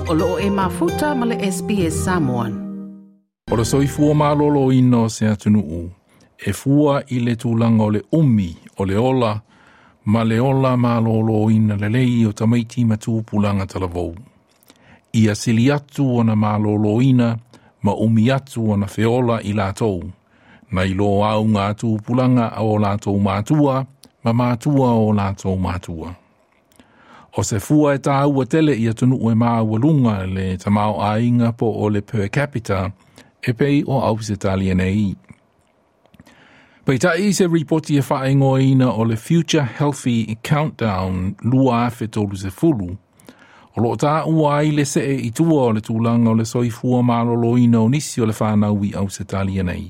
O loo e mafuta ma le SBS Samoan. O le soifua malōlōina o se atunuu, e fua i le tulaga o le umi o le ola ma le ola malōlōina lelei o tamaiti ma tupulaga talavou. Ia sili atu ona malōlōina ma umi atu ona feola i latou, nai lo auga tupulaga a o latou matua ma matua o latou matua. O se fua e tāua tele i atunuu e maualuga le tamaoaiga po o le per capita e pei o Ausetalia nei. Peitai se ripoti e faaigoaina o le Future Healthy Countdown 2030, o loo tāua ai le see i tua o le tulaga o le soifua malōlōina o nisi o le whānau i Ausetalia nei.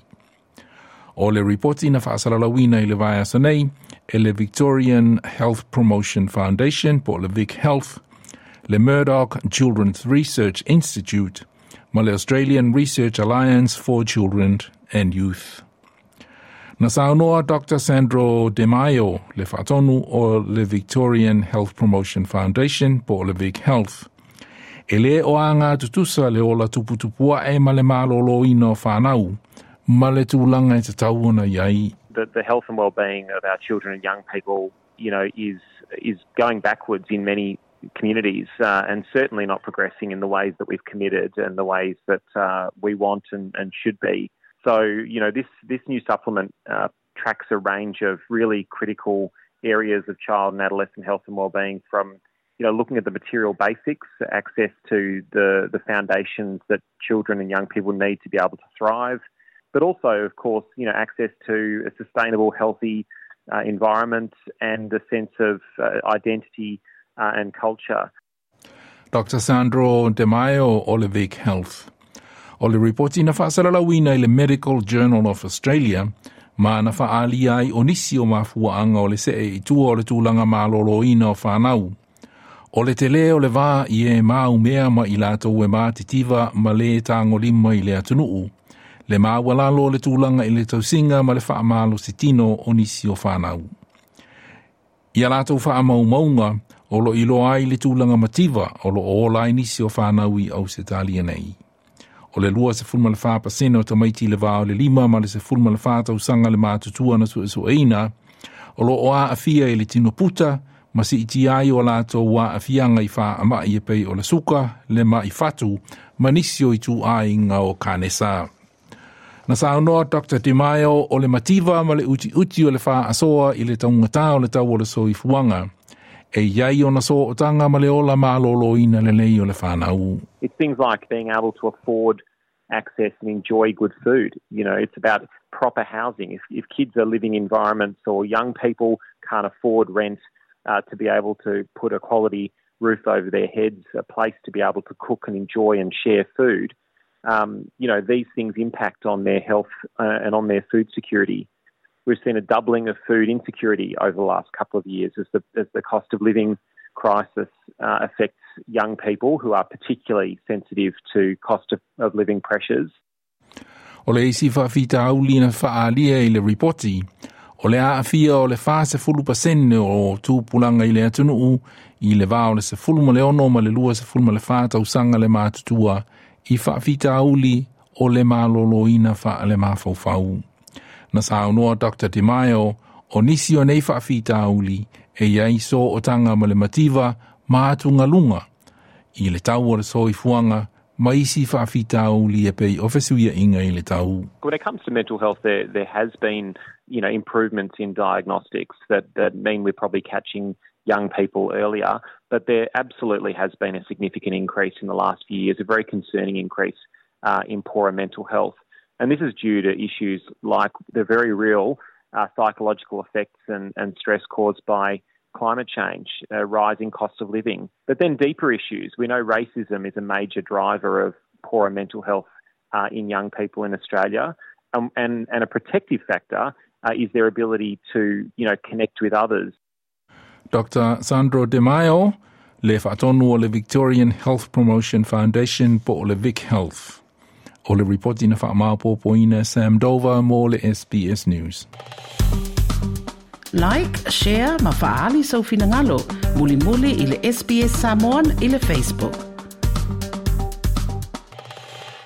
O le ripoti na faasalalauina i le vaiaso nei e le Victorian Health Promotion Foundation po o le Vic Health, le Murdoch Children's Research Institute ma le Australian Research Alliance for Children and Youth. Na saunoa Dr. Sandro De Maio, le faatonu o le Victorian Health Promotion Foundation po o le Vic Health. E lē o aga tutusa le ola tuputupuae ma le malōlōina o whānau, ma le tulaga e tatau ona i ai. The health and well-being of our children and young people is going backwards in many communities and certainly not progressing in the ways that we've committed and the ways that we want and should be. So this new supplement tracks a range of really critical areas of child and adolescent health and well-being from looking at the material basics, access to the foundations that children and young people need to be able to thrive, but also, of course, access to a sustainable, healthy environment and a sense of identity and culture. Dr. Sandro De Maio o le Vic Health. O le ripoti na faasalalauina i le Medical Journal of Australia, ma na faaalia ai o nisi o mafuaanga o le see i tua o le tulaga malōlōina o whānau. O le tele o le vā i e maumea ma i latou e matitiva ma le tagolima i le atunuu. Le maualalo o le tulaga i le tausiga ma le faamalositino o nisi o whānau. Ia latou faamaumauga o lo iloa ai le tulaga mativa o lo o ola ai nisi o whānau i Ausetalia nei. O le 24% o tamaiti i le vā o le 5 ma le 14 tausaga le matutua na suesueina, o lo o aafia i le tino puta, ma siitia ai o latou aafiaga i faamai e pei o le suka, le mai fatu, ma nisi o ituaiga o kanesa. Na saunoa Dr. De Maio o le mativa ma le utiuti o le faasoa i le taugatā o le tau o le soifuaga. E iai ona sootaga ma le ola malōlōina lelei o le whānau. It's things like being able to afford access and enjoy good food. It's about proper housing. If kids are living environments or young people can't afford rent to be able to put a quality roof over their heads, a place to be able to cook and enjoy and share food, these things impact on their health and on their food security. We've seen a doubling of food insecurity over the last couple of years as the cost of living crisis affects young people who are particularly sensitive to cost of living pressures. O le isi faafitauli na faaalia i le ripoti, o le aafia o le 40% o tupulaga i le atunuu i le vā o le 16 ma le 24 tausaga le matutua i faafitauli o le malōlōina faalemafaufau. Na saunoa Dr. De Maio o nisi o nei faafitauli e iai sootaga ma le mativa ma atugaluga i le tau o le soifuaga ma isi faafitauli e pei o fesuiaiga i le tau. When it comes to mental health, there has been improvements in diagnostics that mean we're probably catching young people earlier, but there absolutely has been a significant increase in the last few years, a very concerning increase in poorer mental health. And this is due to issues like the very real psychological effects and stress caused by climate change, rising cost of living. But then deeper issues. We know racism is a major driver of poorer mental health in young people in Australia. And a protective factor is their ability to connect with others. Dr. Sandro De Maio, le faatonu o le Victorian Health Promotion Foundation po o le Vic Health. O le ripoti na faamaopoopoina Sam Dover mo le SBS News. Like, share ma faaali sou finagalo. Mulimuli i le SBS Samoan i le Facebook.